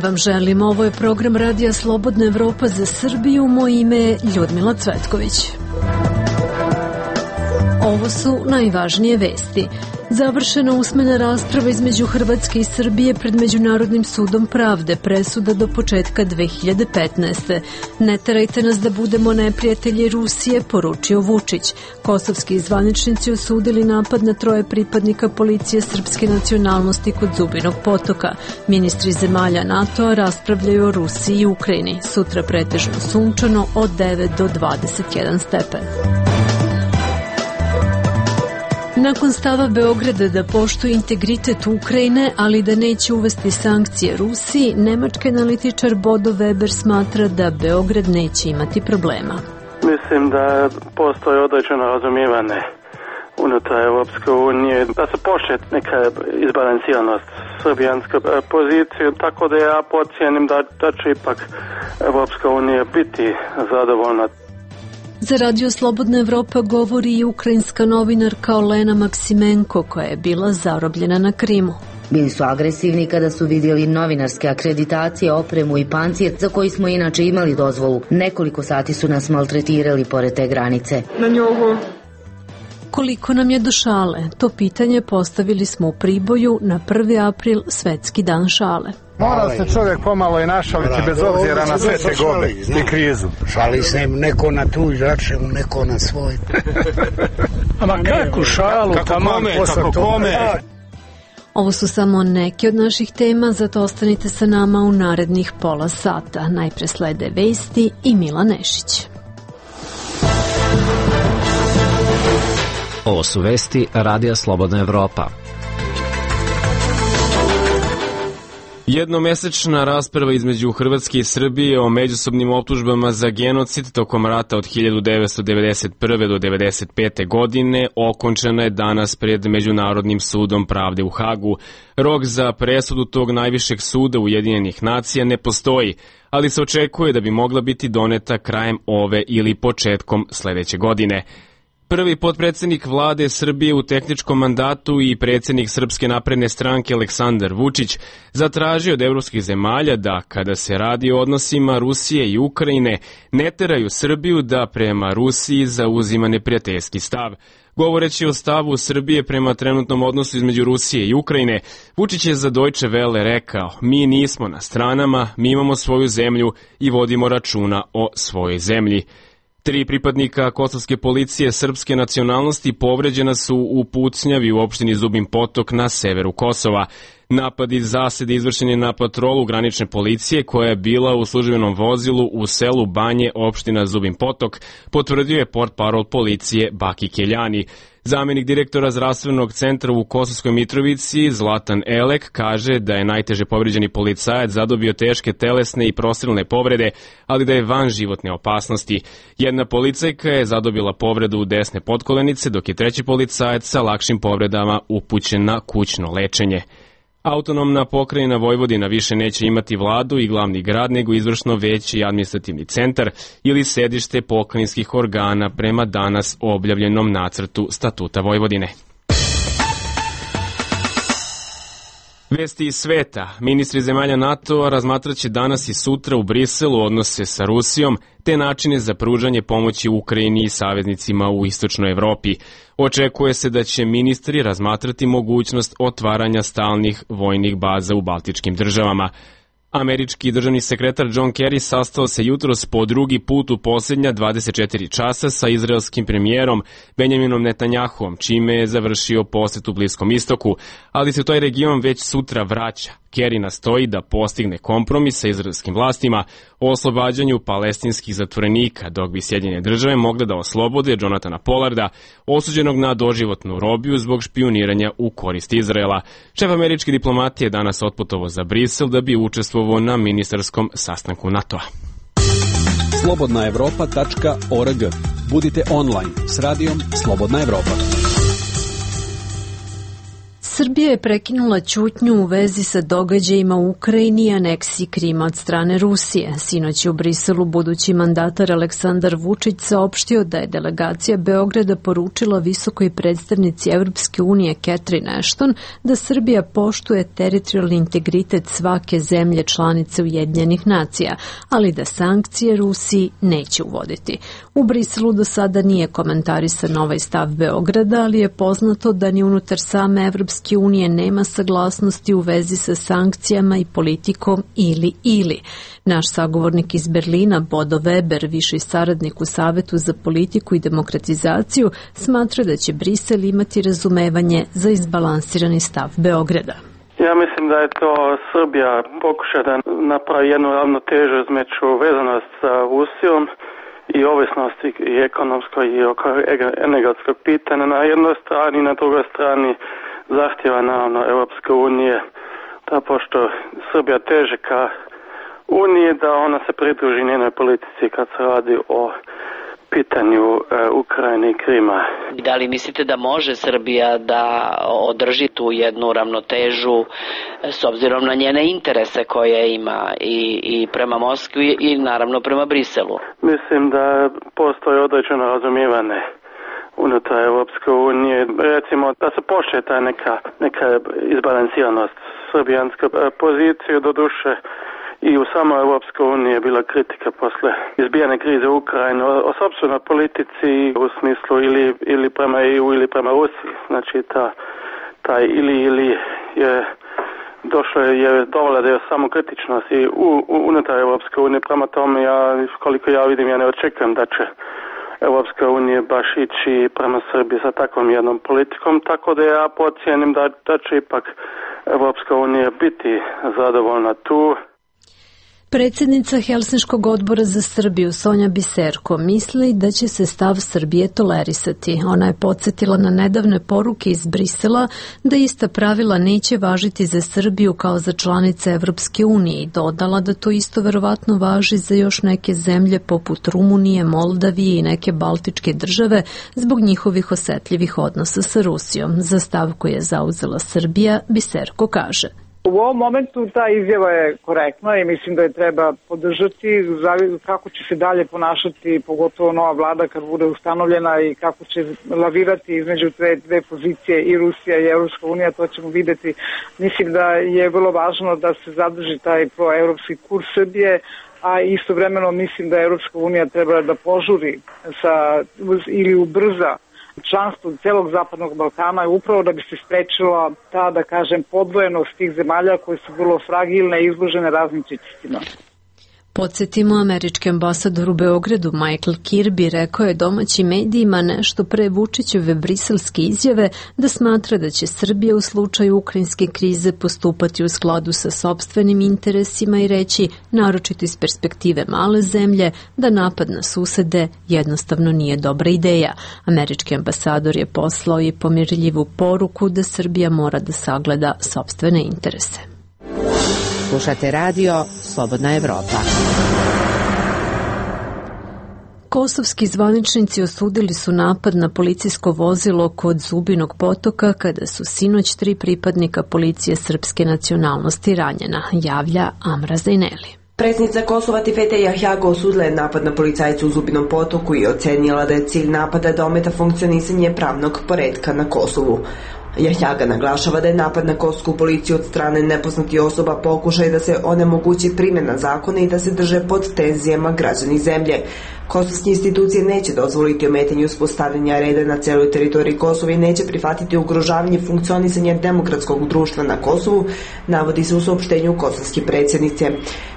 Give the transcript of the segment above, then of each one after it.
vam želim. Ovo je program Radija Slobodna Evropa za Srbiju. Moje ime je Ljudmila Cvetković. Ovo su najvažnije vesti. Završena usmena rasprava između Hrvatske i Srbije pred Međunarodnim sudom pravde, presuda do početka 2015. Ne terajte nas da budemo neprijatelji Rusije, poručio Vučić. Kosovski zvaničnici osudili napad na 3 pripadnika policije srpske nacionalnosti kod Zubinog potoka. Ministri zemalja NATO-a raspravljaju o Rusiji i Ukrajini. Sutra pretežno sunčano od 9 do 21 stepen. Nakon stava Beograda da poštuje integritet Ukrajine, ali da neće uvesti sankcije Rusiji, nemački analitičar Bodo Weber smatra da Beograd neće imati problema. Mislim da postoji određeno razumijevanje unutar Europske unije, da se poštuje neka izbalansiranost srbijanske pozicije, tako da ja pocijenim da će ipak Europska unija biti zadovoljna. Za Radio Slobodna Evropa govori i ukrajinska novinarka Olena Maksimenko, koja je bila zarobljena na Krimu. Bili su agresivni kada su vidjeli novinarske akreditacije, opremu i pancir, za koji smo inače imali dozvolu. Nekoliko sati su nas maltretirali pored te granice. Na njogu. Koliko nam je do šale? To pitanje postavili smo u Priboju na 1. april, Svetski dan šale. Mora se čovjek pomalo i našaliti bez obzira na sve tegobe i krizu. Šali se neko na tuđ račun, neko na svoj. Ama kako šalu, taman posle tome. Ovo su samo neke od naših tema, zato ostanite sa nama u narednih pola sata. Najpre slede vesti i Mila Nešić. Ovo su vesti Radija Slobodna Evropa. Jednomesečna rasprava između Hrvatske i Srbije o međusobnim optužbama za genocid tokom rata od 1991. do 1995. godine okončena je danas pred Međunarodnim sudom pravde u Hagu. Rok za presudu tog najvišeg suda Ujedinjenih nacija ne postoji, ali se očekuje da bi mogla biti doneta krajem ove ili početkom sledeće godine. Prvi potpredsednik vlade Srbije u tehničkom mandatu i predsednik Srpske napredne stranke Aleksandar Vučić zatražio od evropskih zemalja da, kada se radi o odnosima Rusije i Ukrajine, ne teraju Srbiju da prema Rusiji zauzima neprijateljski stav. Govoreći o stavu Srbije prema trenutnom odnosu između Rusije i Ukrajine, Vučić je za Deutsche Welle rekao: "Mi nismo na stranama, mi imamo svoju zemlju i vodimo računa o svojoj zemlji." 3 pripadnika kosovske policije srpske nacionalnosti povređena su u pucnjavi u opštini Zubin Potok na severu Kosova. Napad iz zasede izvršen je na patrolu granične policije koja je bila u službenom vozilu u selu Banje, opština Zubin Potok, potvrdio je portparol policije Baki Keljani. Zamenik direktora zdravstvenog centra u Kosovskoj Mitrovici, Zlatan Elek, kaže da je najteže povređeni policajac zadobio teške telesne i prostrilne povrede, ali da je van životne opasnosti. Jedna policajka je zadobila povredu desne potkolenice, dok je 3. policajac sa lakšim povredama upućen na kućno lečenje. Autonomna pokrajina Vojvodina više neće imati vladu i glavni grad, nego izvršno veće i administrativni centar ili sedište pokrajinskih organa prema danas objavljenom nacrtu Statuta Vojvodine. Vesti iz sveta. Ministri zemalja NATO-a razmatraće danas i sutra u Briselu odnose sa Rusijom te načine za pružanje pomoći Ukrajini i saveznicima u istočnoj Evropi. Očekuje se da će ministri razmatrati mogućnost otvaranja stalnih vojnih baza u baltičkim državama. Američki državni sekretar John Kerry sastao se jutros po drugi put u posljednja 24 časa sa izraelskim premijerom Benjaminom Netanjahuom, čime je završio posjet u Bliskom istoku, ali se taj region već sutra vraća. Kerry nastoji da postigne kompromis sa izraelskim vlastima o oslobađanju palestinskih zatvorenika, dok bi Sjedinjene države mogle da oslobode Jonathana Pollarda, osuđenog na doživotnu robiju zbog špijuniranja u korist Izraela. Šef američke diplomatije danas otputovao za Brisel da bi učestvovao na ministarskom sastanku NATO-a. slobodnaevropa.org. Budite online s radijom Slobodna Evropa. Srbija je prekinula ćutnju u vezi sa događajima u Ukrajini i aneksiji Krima od strane Rusije. Sinoć je u Briselu budući mandatar Aleksandar Vučić saopštio da je delegacija Beograda poručila visokoj predstavnici Evropske unije Catherine Ashton da Srbija poštuje teritorijalni integritet svake zemlje članice Ujedinjenih nacija, ali da sankcije Rusiji neće uvoditi. U Briselu do sada nije komentarisan ovaj stav Beograda, ali je poznato da ni unutar same Evropske unije nema saglasnosti u vezi sa sankcijama i politikom ili. Naš sagovornik iz Berlina, Bodo Weber, viši saradnik u Savetu za politiku i demokratizaciju, smatra da će Brisel imati razumevanje za izbalansirani stav Beograda. Ja mislim da je to Srbija pokuša da napravi jednu ravnotežu između vezanost sa Rusijom i ovisnosti i ekonomskoj i energetskog pitanja na jednoj strani i na drugoj strani zahtjeva naravno Europske unije da pošto Srbija teže ka Uniji da ona se pridruži njenoj politici kad se radi o pitanju Ukrajine i Krima. Da li mislite da može Srbija da održi tu jednu ravnotežu s obzirom na njene interese koje ima i prema Moskvi i naravno prema Briselu? Mislim da postoji određeno razumijevanje unutar Europske unije, recimo da se poštuje ta neka izbalansiranost srbijanske pozicije, doduše i u samoj Europskoj uniji je bila kritika posle izbijane krize u Ukrajini o sopstvenoj politici u smislu ili prema EU ili prema Rusiji. Znači taj ili je dovela da je samo kritičnost i unutar Europske unije. Prema tome koliko ja vidim, ja ne očekujem da će Europska unija baš ići prema Srbiji sa takvom jednom politikom, tako da ja pocijenim da će ipak Europska unija biti zadovoljna tu. Predsjednica Helsinškog odbora za Srbiju Sonja Biserko misli da će se stav Srbije tolerisati. Ona je podsjetila na nedavne poruke iz Brisela da ista pravila neće važiti za Srbiju kao za članice Evropske unije i dodala da to isto verovatno važi za još neke zemlje poput Rumunije, Moldavije i neke baltičke države zbog njihovih osetljivih odnosa sa Rusijom. Za stav koji je zauzela Srbija, Biserko kaže: U ovom momentu ta izjava je korektna i mislim da je treba podržati. Kako će se dalje ponašati, pogotovo nova vlada kad bude ustanovljena i kako će lavirati između dve pozicije i Rusija i Evropska unija, to ćemo videti. Mislim da je vrlo važno da se zadrži taj proevropski kurs Srbije, a istovremeno mislim da Evropska unija treba da požuri ili ubrza članstvo celog Zapadnog Balkana je upravo da bi se sprečila ta, da kažem, podvojenost tih zemalja koje su vrlo fragilne i izložene raznim pritiscima. Podsjetimo, američki ambasador u Beogradu Michael Kirby rekao je domaćim medijima nešto pre Vučićeve briselske izjave da smatra da će Srbija u slučaju ukrajinske krize postupati u skladu sa sopstvenim interesima i reći, naročito iz perspektive male zemlje, da napad na susede jednostavno nije dobra ideja. Američki ambasador je poslao i pomirljivu poruku da Srbija mora da sagleda sopstvene interese. Slušate radio Slobodna Evropa. Kosovski zvaničnici osudili su napad na policijsko vozilo kod Zubinog potoka kada su sinoć 3 pripadnika policije srpske nacionalnosti ranjena, javlja Amra Zajneli. Predsjednica Kosova Tifete Jahjaga osudila je napad na policajcu u Zubinom potoku i ocenila da je cilj napada da ometa funkcionisanje pravnog poretka na Kosovu. Jahjaga naglašava da je napad na kosovsku policiju od strane nepoznatih osoba pokušaj da se onemogući primjena zakona i da se drže pod tenzijama građani zemlje. Kosovske institucije neće dozvoliti ometanje uspostavljanja reda na celoj teritoriji Kosova i neće prihvatiti ugrožavanje funkcionisanja demokratskog društva na Kosovu, navodi se u saopštenju kosovske predsjednice.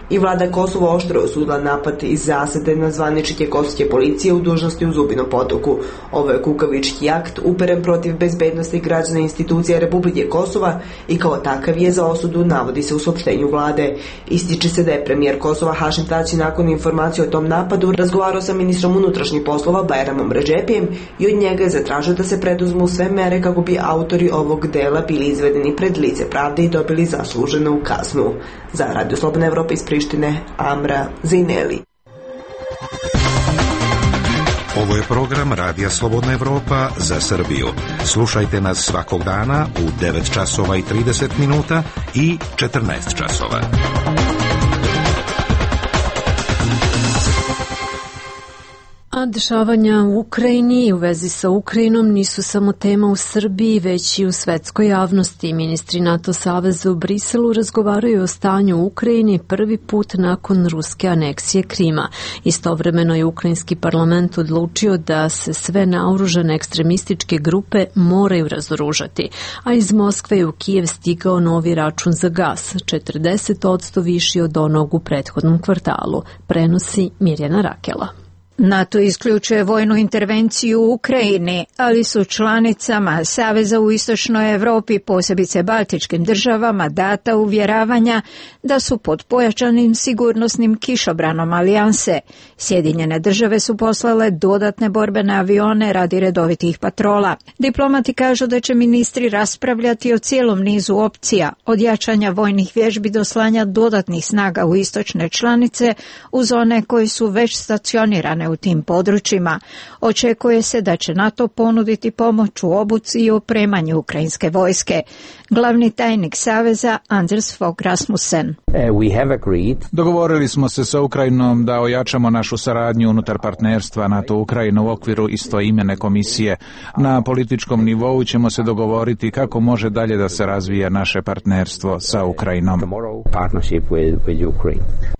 I vlada Kosova oštro osudila napad iz zasede na zvaničnike kosovske policije u dužnosti u Zubinom potoku. Ovo je kukavički akt uperen protiv bezbednosti građana i institucija Republike Kosova i kao takav je za osudu, navodi se u saopštenju vlade. Ističe se da je premijer Kosova Hašim Tači nakon informacije o tom napadu razgovarao sa ministrom unutrašnjih poslova Bajramom Redžepijem i od njega je zatražio da se preduzmu sve mere kako bi autori ovog dela bili izvedeni pred lice pravde i dobili zasluženu kaznu. Za Radio Slobodna Evropa iz Prištine, Amra Zajneli. Ovo je program Radija Slobodna Evropa za Srbiju. Slušajte nas svakog dana u 9 časova i 30 minuta i 14 časova. A dešavanja u Ukrajini i u vezi sa Ukrajinom nisu samo tema u Srbiji, već i u svetskoj javnosti. Ministri NATO saveza u Briselu razgovaraju o stanju u Ukrajini prvi put nakon ruske aneksije Krima. Istovremeno je ukrajinski parlament odlučio da se sve naoružane ekstremističke grupe moraju razoružati, a iz Moskve je u Kijev stigao novi račun za gas, 40% viši od onog u prethodnom kvartalu, prenosi Mirjana Rakela. NATO isključuje vojnu intervenciju u Ukrajini, ali su članicama Saveza u istočnoj Evropi, posebice baltičkim državama, data uvjeravanja da su pod pojačanim sigurnosnim kišobranom alijanse. Sjedinjene države su poslale dodatne borbene avione radi redovitih patrola. Diplomati kažu da će ministri raspravljati o cijelom nizu opcija, od jačanja vojnih vježbi do slanja dodatnih snaga u istočne članice uz one koji su već stacionirane u tim područjima. Očekuje se da će NATO ponuditi pomoć u obuci i opremanju ukrajinske vojske. Glavni tajnik Saveza Anders Fogh Rasmussen. Dogovorili smo se sa Ukrajinom da ojačamo našu saradnju unutar partnerstva NATO-Ukrajina u okviru istoimene komisije. Na političkom nivou ćemo se dogovoriti kako može dalje da se razvija naše partnerstvo sa Ukrajinom.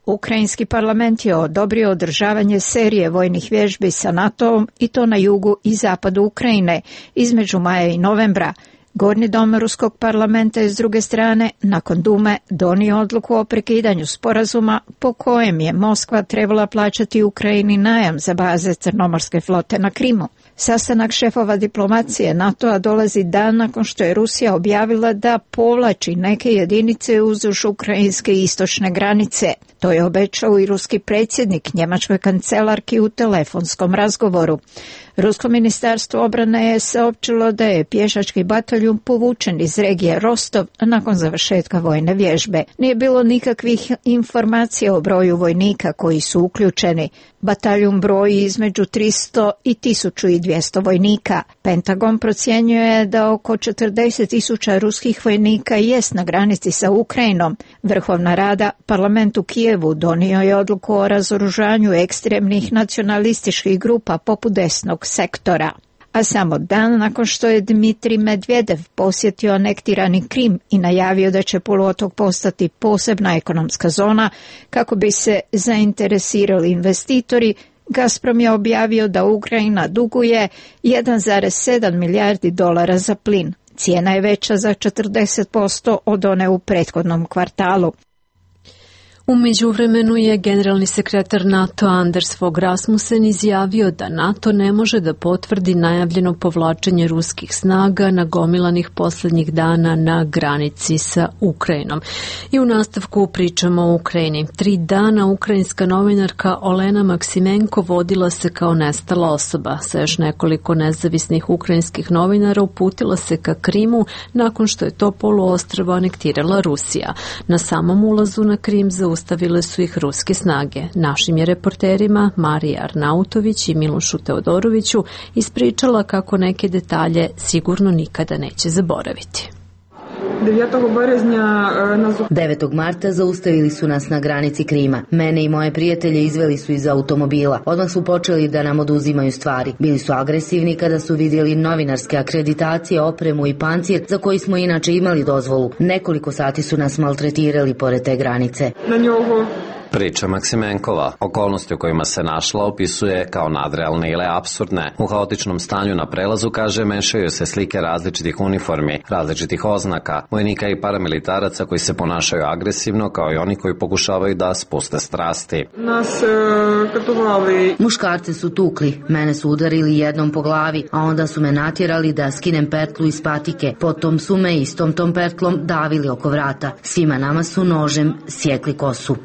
Ukrajinski parlament je odobrio održavanje serije vojnih vježbi sa NATO-om i to na jugu i zapadu Ukrajine između maja i novembra. Gornji dom ruskog parlamenta je s druge strane, nakon Dume, donio odluku o prekidanju sporazuma po kojem je Moskva trebala plaćati Ukrajini najam za baze Crnomorske flote na Krimu. Sastanak šefova diplomacije NATO-a dolazi dan nakon što je Rusija objavila da povlači neke jedinice uzduž ukrajinske istočne granice. To je obećao i ruski predsjednik njemačkoj kancelarki u telefonskom razgovoru. Rusko ministarstvo obrane je saopćilo da je pješački bataljun povučen iz regije Rostov nakon završetka vojne vježbe. Nije bilo nikakvih informacija o broju vojnika koji su uključeni. Bataljun broji između 300 i 1200 vojnika. Pentagon procjenjuje da oko 40.000 ruskih vojnika jest na granici sa Ukrajinom. Vrhovna rada, parlament u Kijevu, donio je odluku o razoružanju ekstremnih nacionalističkih grupa poput desnog sektora. A samo dan nakon što je Dmitrij Medvedev posjetio anektirani Krim i najavio da će poluotok postati posebna ekonomska zona kako bi se zainteresirali investitori, Gazprom je objavio da Ukrajina duguje 1,7 milijardi dolara za plin. Cijena je veća za 40% od one u prethodnom kvartalu. U međuvremenu je generalni sekretar NATO Anders Fogh Rasmussen izjavio da NATO ne može da potvrdi najavljeno povlačenje ruskih snaga nagomilanih posljednjih dana na granici sa Ukrajinom. I u nastavku pričamo o Ukrajini. 3 dana ukrajinska novinarka Olena Maksimenko vodila se kao nestala osoba. Sa još nekoliko nezavisnih ukrajinskih novinara uputila se ka Krimu nakon što je to poluostrvo anektirala Rusija. Na samom ulazu na Krim zaustavile su ih ruske snage. Našim je reporterima Marija Arnautović i Milošu Teodoroviću ispričala kako neke detalje sigurno nikada neće zaboraviti. 9. marta zaustavili su nas na granici Krima. Mene i moje prijatelje izveli su iz automobila. Odmah su počeli da nam oduzimaju stvari. Bili su agresivni kada su vidjeli novinarske akreditacije, opremu i pancir za koji smo inače imali dozvolu. Nekoliko sati su nas maltretirali pored te granice. Priča Maksimenkova. Okolnosti u kojima se našla opisuje kao nadrealne ili apsurdne. U haotičnom stanju na prelazu, kaže, mešaju se slike različitih uniformi, različitih oznaka, vojnika i paramilitaraca koji se ponašaju agresivno, kao i oni koji pokušavaju da spuste strasti. Muškarce su tukli, mene su udarili jednom po glavi, a onda su me natjerali da skinem pertlu iz patike. Potom su me istom tom pertlom davili oko vrata. Svima nama su nožem sjekli kosu.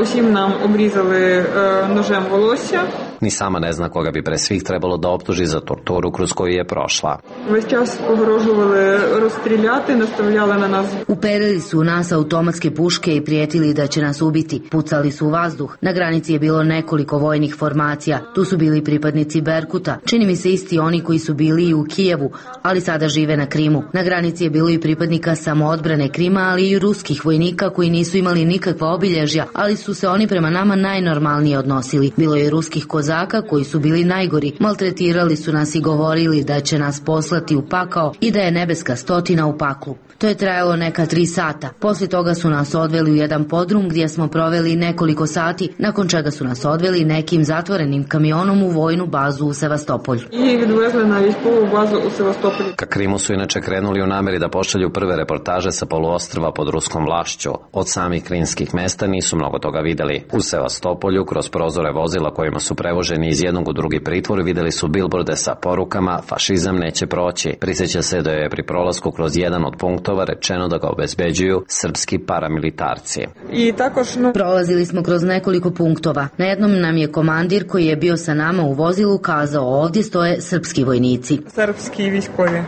Усім нам обрізали ножем волосся. Ni sama ne zna koga bi pre svih trebalo da optuži za torturu kroz koju je prošla. Već čas pogružovali rozstriljati, nastavljali na nas. Uperili su u nas automatske puške i prijetili da će nas ubiti. Pucali su u vazduh. Na granici je bilo nekoliko vojnih formacija. Tu su bili pripadnici Berkuta. Čini mi se isti oni koji su bili i u Kijevu, ali sada žive na Krimu. Na granici je bilo i pripadnika samoodbrane Krima, ali i ruskih vojnika koji nisu imali nikakva obilježja, ali su se oni prema nama najnormalnije odnosili. Bilo je ruskih kozaka koji su bili najgori. Maltretirali su nas i govorili da će nas poslati u pakao i da je nebeska stotina u paklu. To je trajalo neka 3 sata. Poslije toga su nas odveli u jedan podrum gdje smo proveli nekoliko sati, nakon čega su nas odveli nekim zatvorenim kamionom u vojnu bazu u Sevastopolju. I odvezli na vojnu bazu u Sevastopolju. Ka Krimu su inače krenuli u nameri da pošalju prve reportaže sa poluostrva pod ruskom vlašću. Od samih krimskih mesta nisu mnogo toga videli. U Sevastopolju, kroz prozore vozila kojima su prevoženi iz jednog u drugi pritvor, videli su bilborde sa porukama "Fašizam neće proći". Prisjeća se da je pri prolasku kroz jedan od punktova rečeno da ga obezbeđuju srpski paramilitarci. I također prolazili smo kroz nekoliko punktova. Na jednom nam je komandir koji je bio sa nama u vozilu kazao: ovdje stoje srpski vojnici. Srpski vojskovi.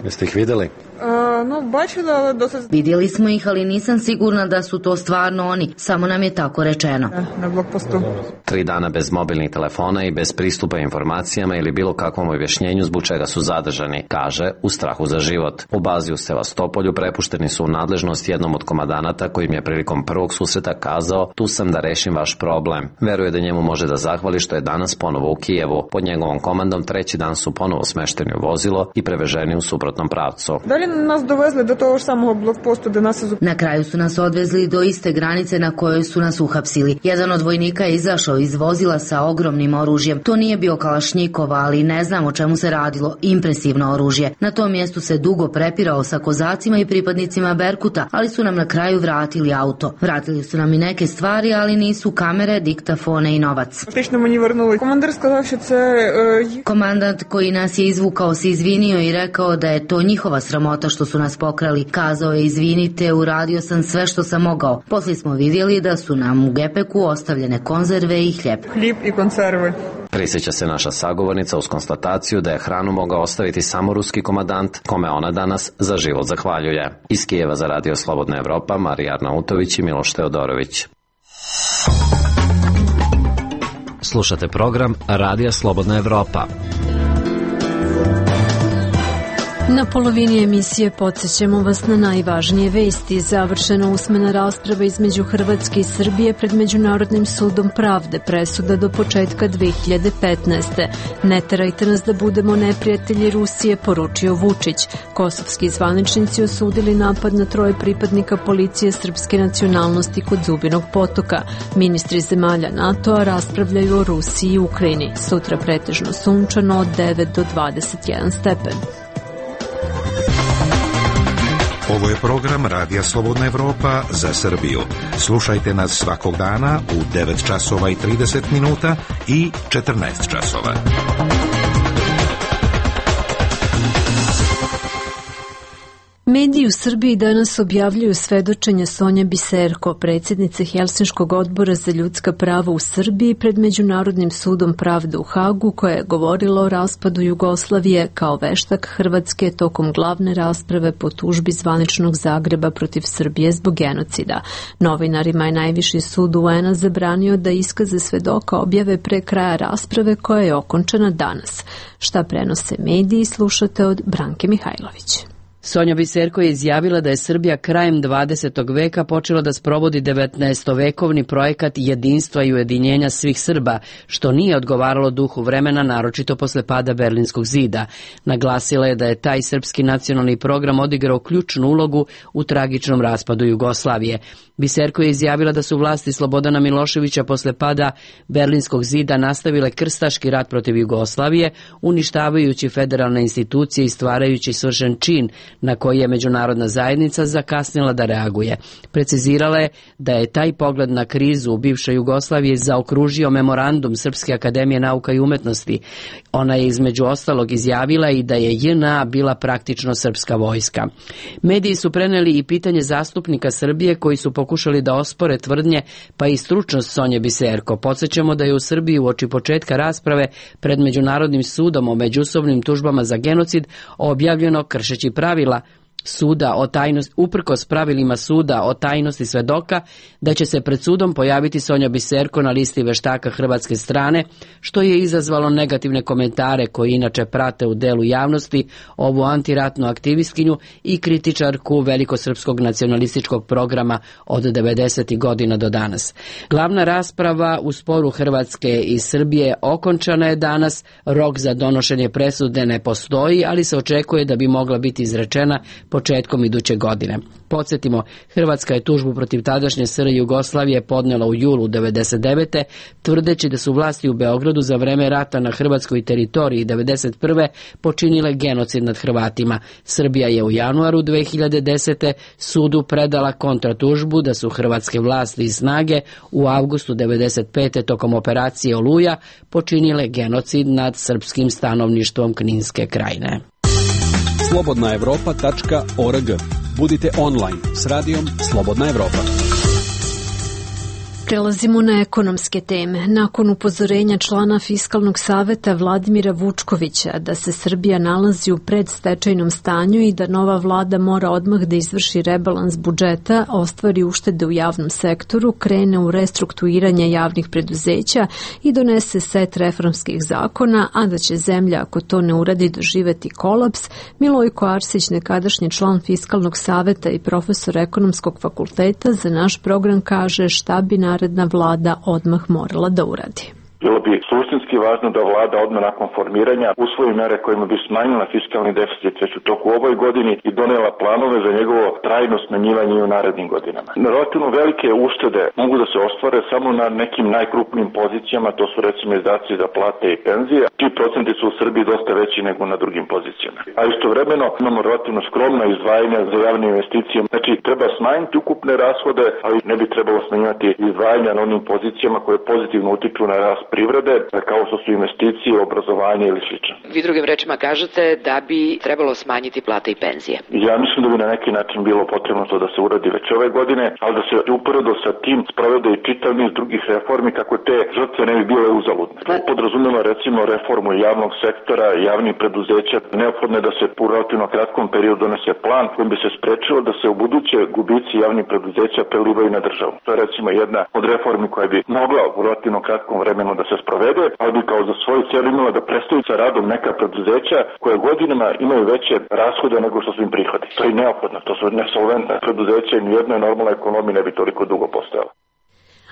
Jeste ih videli? Vidjeli smo ih, ali nisam sigurna da su to stvarno oni. Samo nam je tako rečeno. Na blokpostu. 3 dana bez mobilnih telefona i bez pristupa informacijama ili bilo kakvom objašnjenju zbog čega su zadržani, kaže, u strahu za život. U bazi u Sevastopolju prepušteni su u nadležnost jednom od komandanata koji im je prilikom prvog susreta kazao: tu sam da rešim vaš problem. Veruje da njemu može da zahvali što je danas ponovo u Kijevu. Pod njegovom komandom 3. dan su ponovo smešteni u vozilo i preveženi u suprotnom pravcu. Nas dovezli do toho samog blokposta da nas... Na kraju su nas odvezli do iste granice na kojoj su nas uhapsili. Jedan od vojnika je izašao iz vozila sa ogromnim oružjem. To nije bio kalašnjikov, ali ne znam o čemu se radilo. Impresivno oružje. Na tom mjestu se dugo prepirao sa kozacima i pripadnicima Berkuta, ali su nam na kraju vratili auto. Vratili su nam i neke stvari, ali nisu kamere, diktafone i novac. Komandant koji nas je izvukao se izvinio i rekao da je to njihova sramota što su nas pokrali. Kazao je: izvinite, uradio sam sve što sam mogao. Poslije smo vidjeli da su nam u gepeku ostavljene konzerve i hljeb. Hljeb i konzerve. Prisjeća se naša sagovornica uz konstataciju da je hranu mogao ostaviti samo ruski komandant, kome ona danas za život zahvaljuje. Iz Kijeva za Radio Slobodna Evropa, Marija Arnautović i Miloš Teodorović. Slušate program Radija Slobodna Evropa. Na polovini emisije podsjećamo vas na najvažnije vesti. Završena usmena rasprava između Hrvatske i Srbije pred Međunarodnim sudom pravde, presuda do početka 2015. Ne terajte nas da budemo neprijatelji Rusije, poručio Vučić. Kosovski zvaničnici osudili napad na 3 pripadnika policije srpske nacionalnosti kod Zubinog potoka. Ministri zemalja NATO-a raspravljaju o Rusiji i Ukrajini. Sutra pretežno sunčano od 9 do 21 stepen. Ovo je program Radija Slobodna Evropa za Srbiju. Slušajte nas svakog dana u 9 časova i 30 minuta i 14 časova. Mediji u Srbiji danas objavljuju svedočenje Sonje Biserko, predsjednice Helsinškog odbora za ljudska prava u Srbiji pred Međunarodnim sudom pravde u Hagu, koja je govorila o raspadu Jugoslavije kao veštak Hrvatske tokom glavne rasprave po tužbi zvaničnog Zagreba protiv Srbije zbog genocida. Novinarima je najviši sud UN-a zabranio da iskaze svedoka objave pre kraja rasprave koja je okončana danas. Šta prenose mediji, slušate od Branke Mihajlović. Sonja Biserko je izjavila da je Srbija krajem 20. veka počela da sprovodi 19-vekovni projekat jedinstva i ujedinjenja svih Srba, što nije odgovaralo duhu vremena, naročito posle pada Berlinskog zida. Naglasila je da je taj srpski nacionalni program odigrao ključnu ulogu u tragičnom raspadu Jugoslavije. Biserko je izjavila da su vlasti Slobodana Miloševića posle pada Berlinskog zida nastavile krstaški rat protiv Jugoslavije, uništavajući federalne institucije i stvarajući svršen čin na koji je međunarodna zajednica zakasnila da reaguje. Precizirala je da je taj pogled na krizu u bivšoj Jugoslaviji zaokružio memorandum Srpske akademije nauka i umetnosti. Ona je između ostalog izjavila i da je JNA bila praktično srpska vojska. Mediji su preneli i pitanje zastupnika Srbije koji su pokušali da ospore tvrdnje pa i stručnost Sonje Biserko. Podsjećamo da je u Srbiji uoči početka rasprave pred Međunarodnim sudom o međusobnim tužbama za genocid objavljeno, kršeći pravila suda o tajnosti, uprkos pravilima suda o tajnosti svedoka, da će se pred sudom pojaviti Sonja Biserko na listi veštaka hrvatske strane, što je izazvalo negativne komentare koji inače prate u delu javnosti ovu antiratnu aktivistkinju i kritičarku velikosrpskog nacionalističkog programa od 90. godina do danas. Glavna rasprava u sporu Hrvatske i Srbije okončana je danas, rok za donošenje presude ne postoji, ali se očekuje da bi mogla biti izrečena početkom iduće godine. Podsjetimo, Hrvatska je tužbu protiv tadašnje SR Jugoslavije podnela u julu 1999. tvrdeći da su vlasti u Beogradu za vreme rata na hrvatskoj teritoriji 1991. počinile genocid nad Hrvatima. Srbija je u januaru 2010. sudu predala kontratužbu da su hrvatske vlasti i snage u avgustu 1995. tokom operacije Oluja počinile genocid nad srpskim stanovništvom Kninske krajine. slobodnaevropa.org. Budite online s radijom Slobodna Evropa. Prelazimo na ekonomske teme. Nakon upozorenja člana Fiskalnog saveta Vladimira Vučkovića da se Srbija nalazi u predstečajnom stanju i da nova vlada mora odmah da izvrši rebalans budžeta, ostvari uštede u javnom sektoru, krene u restrukturiranje javnih preduzeća i donese set reformskih zakona, a da će zemlja, ako to ne uradi, doživeti kolaps, Milojko Arsić, nekadašnji član Fiskalnog saveta i profesor ekonomskog fakulteta, za naš program kaže šta bi naredna vlada odmah morala da uradi. Bilo bi suštinski važno da vlada odmah nakon formiranja usvoji mere kojima bi smanjila fiskalni deficit već u toku ovoj godini i donela planove za njegovo trajno smanjivanje i u narednim godinama. Relativno velike uštede mogu da se ostvare samo na nekim najkrupnijim pozicijama, to su recimo izdaci za plate i penzije, čiji procenti su u Srbiji dosta veći nego na drugim pozicijama. A istovremeno imamo relativno skromna izdvajanja za javne investicije. Znači treba smanjiti ukupne rashode, ali ne bi trebalo smanjivati izdvajanja na onim pozicijama koje pozitivno utiču na rast privrede, kao što su investicije, obrazovanje ili slično. Vi drugim rečima kažete da bi trebalo smanjiti plate i penzije. Ja mislim da bi na neki način bilo potrebno to da se uradi već ove godine, ali da se uporedo sa tim sprovede i čitav niz drugih reformi kako te žrtve ne bi bile uzaludne. Podrazumeva recimo reformu javnog sektora, javnih preduzeća. Neophodno je da se u relativno kratkom periodu donese plan kojim bi se sprečilo da se u buduće gubici javnih preduzeća prelivaju na državu. To je recimo jedna od reformi koja bi mogla u relativno kratkom vremenu da se sprovede, ali bi kao za svoju cijelu imala da prestaju sa radom neka preduzeća koje godinama imaju veće rashode nego što su im prihodi. To je neophodno, to su nesolventna preduzeća i nijedna normalna ekonomija ne bi toliko dugo postojala.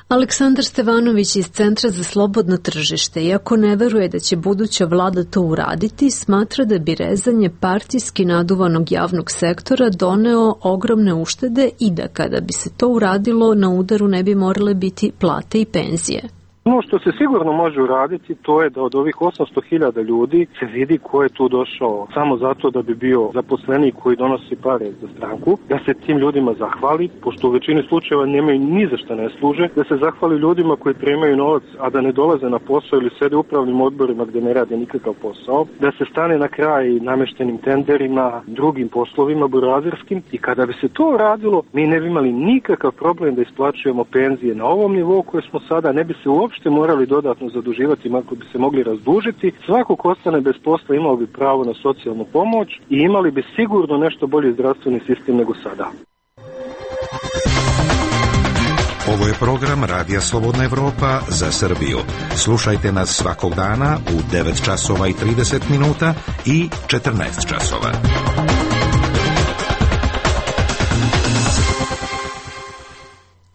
Aleksandar Stevanović iz Centra za slobodno tržište, iako ne veruje da će buduća vlada to uraditi, smatra da bi rezanje partijski naduvanog javnog sektora doneo ogromne uštede i da kada bi se to uradilo, na udaru ne bi morale biti plate i penzije. Ono što se sigurno može uraditi, to je da od ovih 800.000 ljudi se vidi ko je tu došao samo zato da bi bio zaposlenik koji donosi pare za stranku, da se tim ljudima zahvali, pošto u većini slučajeva nemaju ni za šta ne služe, da se zahvali ljudima koji primaju novac, a da ne dolaze na posao ili sede u upravnim odborima gde ne rade nikakav posao, da se stane na kraj nameštenim tenderima, drugim poslovima burazerskim, i kada bi se to uradilo, mi ne bi imali nikakav problem da isplaćujemo penzije na ovom nivou koje smo sada, ne bi se uopšte morali dodatno zaduživati, ako bi se mogli razdužiti. Svako ko ostane bez posla imao bi pravo na socijalnu pomoć i imali bi sigurno nešto bolji zdravstveni sistem nego sada. Ovo je program Radija Slobodna Evropa za Srbiju. Slušajte nas svakog dana u 9 časova i 30 minuta i 14 časova.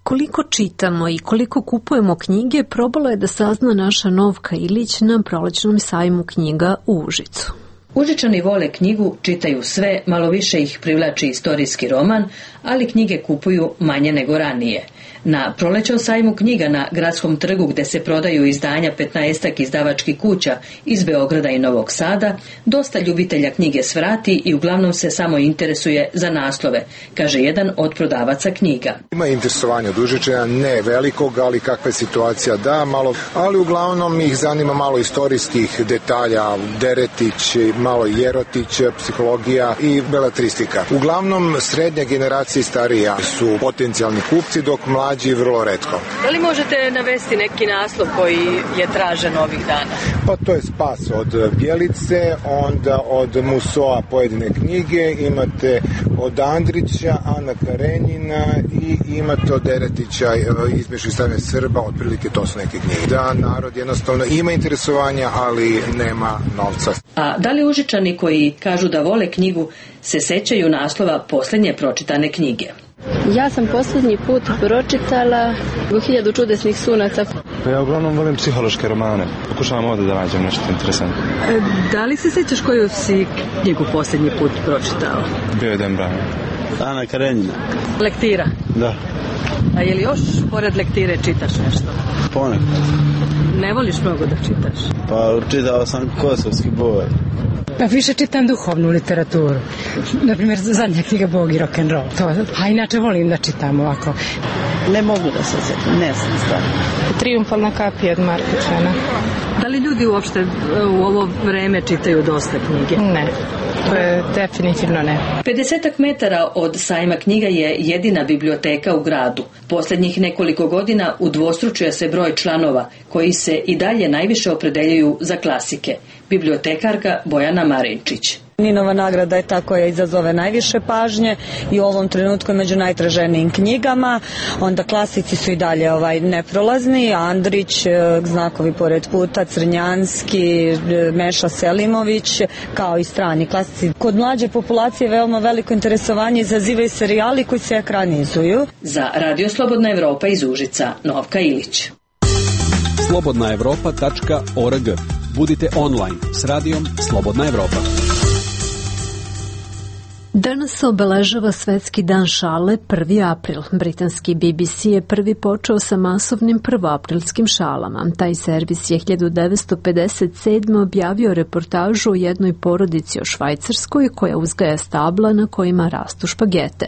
Koliko čitamo i koliko kupujemo knjige, probala je da sazna naša Novka Ilić na prolećnom sajmu knjiga u Užicu. Užičani vole knjigu, čitaju sve, malo više ih privlači istorijski roman, ali knjige kupuju manje nego ranije. Na prolećnom sajmu knjiga na Gradskom trgu, gde se prodaju izdanja 15-ak izdavačkih kuća iz Beograda i Novog Sada, dosta ljubitelja knjige svrati i uglavnom se samo interesuje za naslove, kaže jedan od prodavaca knjiga. Ima interesovanja od Užičana, ne velikog, ali kakva je situacija, da, malo, ali uglavnom ih zanima malo istorijskih detalja, Deretić, malo Jerotić, psihologija i beletristika. Uglavnom srednja generacija i starija su potencijalni kupci, dok mlađi vrlo retko. Da li možete navesti neki naslov koji je tražen ovih dana? Pa to je Spas od Bjelice, onda od Musoa pojedine knjige, imate od Andrića, Ana Karenjina i imate od Deretića Između i stavljanje Srba, otprilike to su neke knjige. Da, narod jednostavno ima interesovanja, ali nema novca. A da li Užičani koji kažu da vole knjigu se sećaju naslova posljednje pročitane knjige? Ja sam posljednji put pročitala 1000 čudesnih sunaca. Ja uglavnom volim psihološke romane. Pokušavam ovdje da nađem nešto interesantno. Da li se sećaš koju si knjigu posljednji put pročitao? Bio je Dan Brown. Ana Karenjina. Lektira? Da. A je li još pored lektire čitaš nešto? Ponekad. Ne voliš mnogo da čitaš? Pa čitao sam Kosovski boj. Pa više čitam duhovnu literaturu. Naprimjer, zadnja knjiga Bog i rock'n'roll. A inače volim da čitam ovako. Ne mogu da se sjetim, ne znam stvarno. Trijumfalna kapija od Marka Tvena. Da li ljudi uopšte u ovo vreme čitaju dosta knjige? Ne. To je definitivno ne. 50 metara od sajma knjiga je jedina biblioteka u gradu. Posljednjih nekoliko godina udvostručuje se broj članova koji se i dalje najviše opredeljuju za klasike. Bibliotekarka Bojana Marinčić. Ninova nagrada je ta koja izazove najviše pažnje i u ovom trenutku među najtraženijim knjigama. Onda klasici su i dalje neprolazni. Andrić, Znakovi pored puta, Crnjanski, Meša Selimović, kao i strani klasici. Kod mlađe populacije veoma veliko interesovanje izazivaju serijali koji se ekranizuju. Za Radio Slobodna Evropa iz Užica, Novka Ilić. slobodnaevropa.org. Budite online s radijom Slobodna Evropa. Danas obeležava Svetski dan šale 1. april. Britanski BBC je prvi počeo sa masovnim prvoaprilskim šalama. Taj servis je 1957. objavio reportažu o jednoj porodici o Švajcarskoj koja uzgaja stabla na kojima rastu špagete.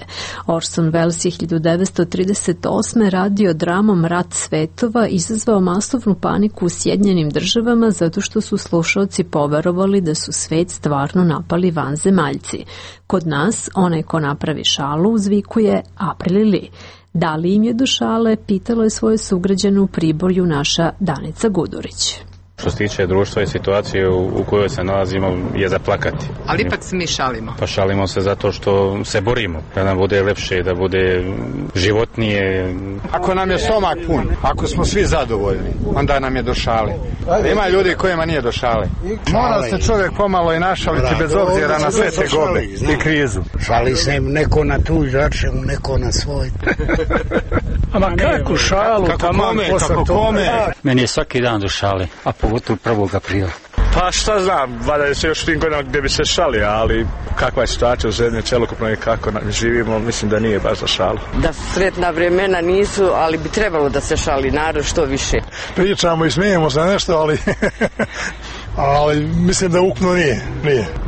Orson Welles je 1938. radio dramom Rat svetova izazvao masovnu paniku u Sjedinjenim Državama zato što su slušaoci poverovali da su svet stvarno napali vanzemaljci. Kod nas, onaj ko napravi šalu uzvikuje Aprilili. Da li im je do šale, pitalo je svoje sugrađane u Priboju naša Danica Gudurić. Što se tiče društva i situacije u kojoj se nalazimo je za plakati. Ali ipak se mi šalimo. Pa šalimo se zato što se borimo, da nam bude lepše, da bude životnije. Ako nam je stomak pun, ako smo svi zadovoljni, onda nam je do šale. Ima ljudi kojima nije do šale. Mora se čovjek pomalo i našaliti bez obzira na sve tegobe i krizu. Šali se neko na tuđ račun, neko na svoj. Ama kako šalu, kako kome? Meni je svaki dan do šale, a pogotovo 1. aprila. Pa šta znam, valjda se još tim godinama gdje bi se šalio, ali kakva je situacija u zemlji, celokupno i kako živimo, mislim da nije baš za šalu. Da sretna vremena nisu, ali bi trebalo da se šali narod što više. Pričamo i smijemo se nešto, ali mislim da ukupno nije.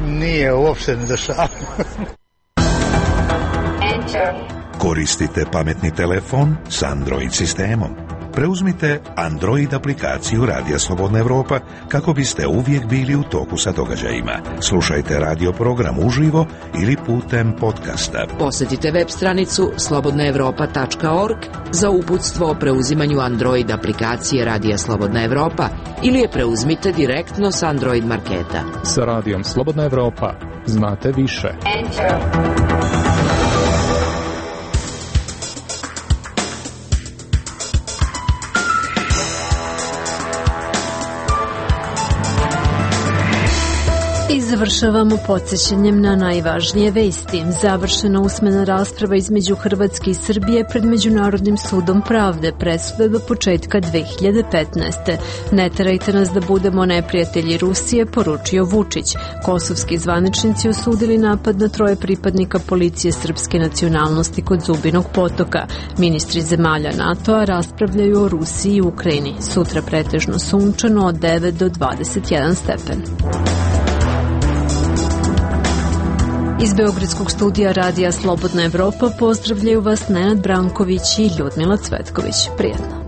Nije uopšte ne za šalu. Koristite pametni telefon s Android sistemom. Preuzmite Android aplikaciju Radija Slobodna Evropa kako biste uvijek bili u toku sa događajima. Slušajte radio program uživo ili putem podcasta. Posjetite web stranicu slobodnaevropa.org za uputstvo o preuzimanju Android aplikacije Radija Slobodna Evropa ili je preuzmite direktno s Android marketa. Sa Radijom Slobodna Evropa znate više. I završavamo podsjećanjem na najvažnije vesti. Završena usmena rasprava između Hrvatske i Srbije pred Međunarodnim sudom pravde, presuda do početka 2015. Ne terajte nas da budemo neprijatelji Rusije, poručio Vučić. Kosovski zvaničnici osudili napad na 3 pripadnika policije srpske nacionalnosti kod Zubinog potoka. Ministri zemalja NATO-a raspravljaju o Rusiji i Ukrajini. Sutra pretežno sunčano od 9 do 21 stepen. Iz Beogradskog studija Radija Slobodna Evropa pozdravljaju vas Nenad Branković i Ljudmila Cvetković. Prijetno.